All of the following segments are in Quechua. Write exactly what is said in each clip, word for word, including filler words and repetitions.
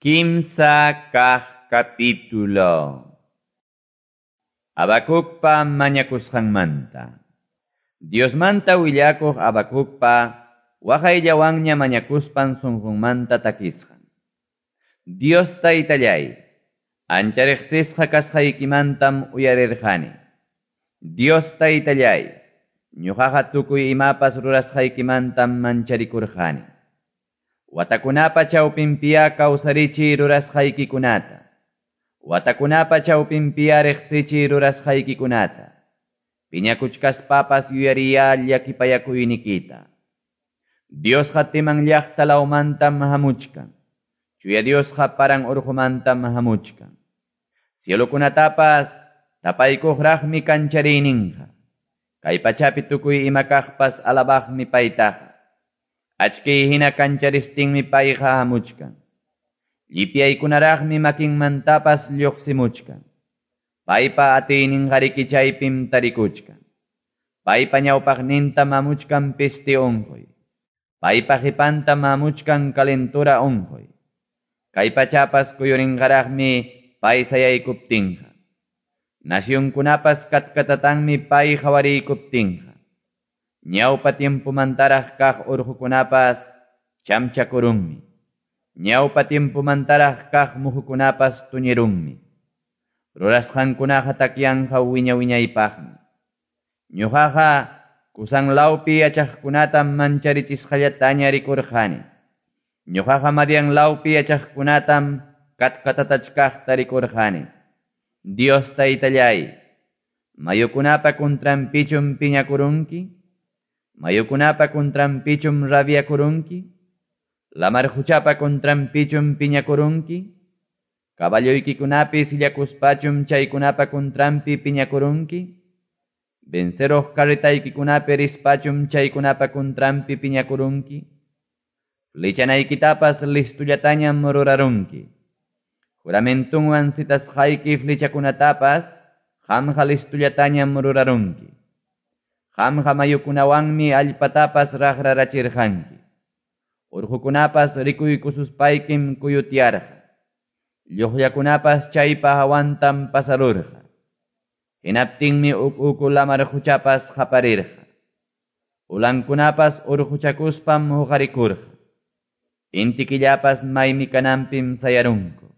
Kimsa kaq capítulo. Habacucpa mañakusqanmanta. Diosmanta willakuq Habacucpa waqayllawanña mañakuspan sunqunmanta takisqan. Dios taytallay, ancha riqsisqa kasqaykimantam uyarirqani. Dios taytallay, ñuqaqa tukuy imapas rurasqaykimantam mancharikurqani. Watakunapa chawpinpiya kawsarichiy rurasqaykikunata. Watakunapa chawpinpiya riqsichiy rurasqaykikunata. Piñakuchkaspapas yuyariya llakipayakuynikita. Diosqa Timan llaqta lawmantam hamuchkan. Chuya Diosqa paran urqumantam hamuchkan. Cielokunatapas tapaykuqraqmi kanchariyninqa. Kay pachapi tukuy ima kaqpas alabaqmi paytaqa. Achkiy hina kancharistinmi payqa hamuchkan. Llipyaykunaraqmi makinmantapas lluqsimuchkan. Paypa atiyninqariki chaypim tarikuchkan. Paypa ñawpaqninta hamuchkan peste unquy. Paypa qhipanta hamuchkan calentura unquy. Kay pachapas kuyurinqaraqmi pay sayaykuptinqa. Nacionkunapas katkatatanmi pay qhawariykuptinqa. Ñawpa tiempomantaraq kaq urqukunapas chamchakurunmi. Ñawpa tiempomantaraq kaq muhukunapas tuñirunmi. Rurasqankunaqa takyanqa wiña wiñaypaqmi. Ñuqaqa kusan lawpi yachaqkunatam mancharichisqallataña rikurqani. Ñuqaqa Madian lawpi yachaqkunatam katkatatachkaqta rikurqani. Dios taytallay, mayukunapa kuntranpichum piñakurunki? Mayukunapa kuntranpichum rabiakurunki? Lamar quchapa kuntranpichum piñakurunki? Caballoykikunapi sillakuspachum chaykunapa kuntranpi piñakurunki? Venceroq carretaykikunapi rispachum chaykunapa kuntranpi piñakurunki? Flichanaykitapas listullatañam rurarunki. Juramentunwan citasqayki flichakunatapas qamqa listullatañam rurarunki. Qamqa mayukunawanmi allpatapas raqrarachirqanki. Urqukunapas rikuykususpaykim kuyutyarqa. Lluqllakunapas chaypa hawantam pasarurqa. Hinaptinmi uk uku lamar quchapas qaparirqa. Ulankunapas urquchakuspam huqarikurqa. Inti killapas maymi kananpim sayarunku.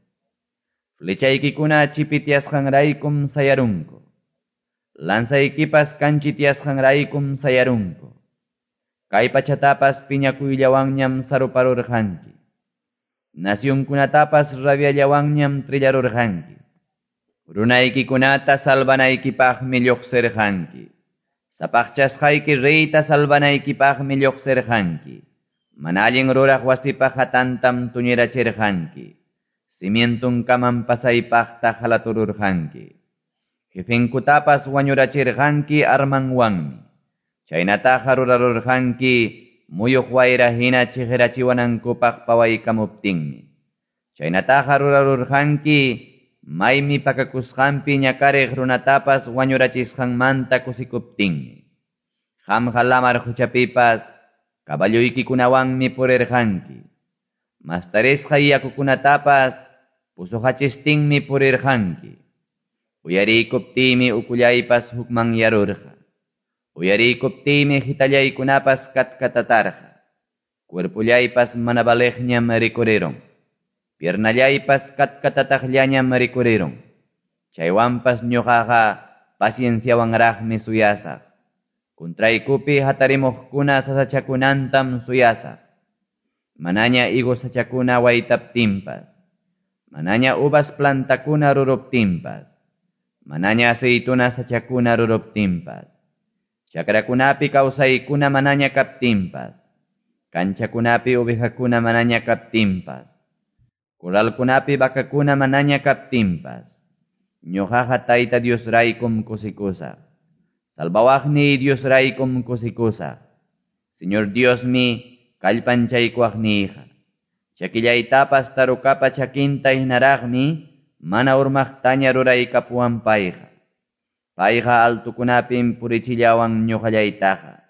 Flechaykikuna chipityasqanraykum sayarunku. Lanzaykipas kanchityasqanraykum sayarunku. Kay pachatapas piñakuyllawanñam saruparurqanki. Nacionkunatapas rabiallawanñam trillarurqanki. Runaykikunata salvanaykipaqmi lluqsirqanki. Sapaqchasqayki reyta salvanaykipaqmi lluqsirqanki. Mana allin ruraq wasipa hatantam tuñirachirqanki. Cimientunkamam pasaypaqta halatururqanki. Jefenkutapas wañurachirqanki armanwanmi. Chaynataqa rurarurqanki muyuq wayra hina chiqirachiwanankupaq pawaykamuptinmi. Chaynataqa rurarurqanki maymi pakakusqanpi ñakariq runatapas wañurachisqanmanta kusikuptinmi. Qamqa lamar quchapipas caballoykikunawanmi purirqanki. Mastarisqa yakukunatapas pusuqachistinmi purirqanki. Uyariykuptiymi ukullaypas hukmanyarurqa. Uyariykuptiymi hitallaykunapas katkatatarqa. Cuerpullaypas mana valeqñam rikurirun. Piernallaypas katkatataqllañam rikurirun. Chaywanpas ñuqaqa pacienciawanraqmi suyasaq. Kuntraykupi hatarimuqkuna sasachakunantam suyasaq. Manaña higos sachakuna waytaptinpas. Manaña uvas plantakuna ruruptinpas. Manaña aceituna sachakuna ruruptinpas. Chakrakunapi kawsaykuna manaña kaptinpas. Kanchakunapi ovejakuna manaña kaptinpas. Corralkunapi vakakuna manaña kaptinpas. Ñuqaqa Tayta Diosraykum kusikusaq. Salvawaqniy Diosraykum kusikusaq. Señor Diosmi kallpanchaykuwaqniyqa. Chakillaytapas tarukapa chakinta hinaraqmi mana urmaqtaña ruraykapuwan payqa. Payqa altukunapim purichillawan ñuqallaytaqa.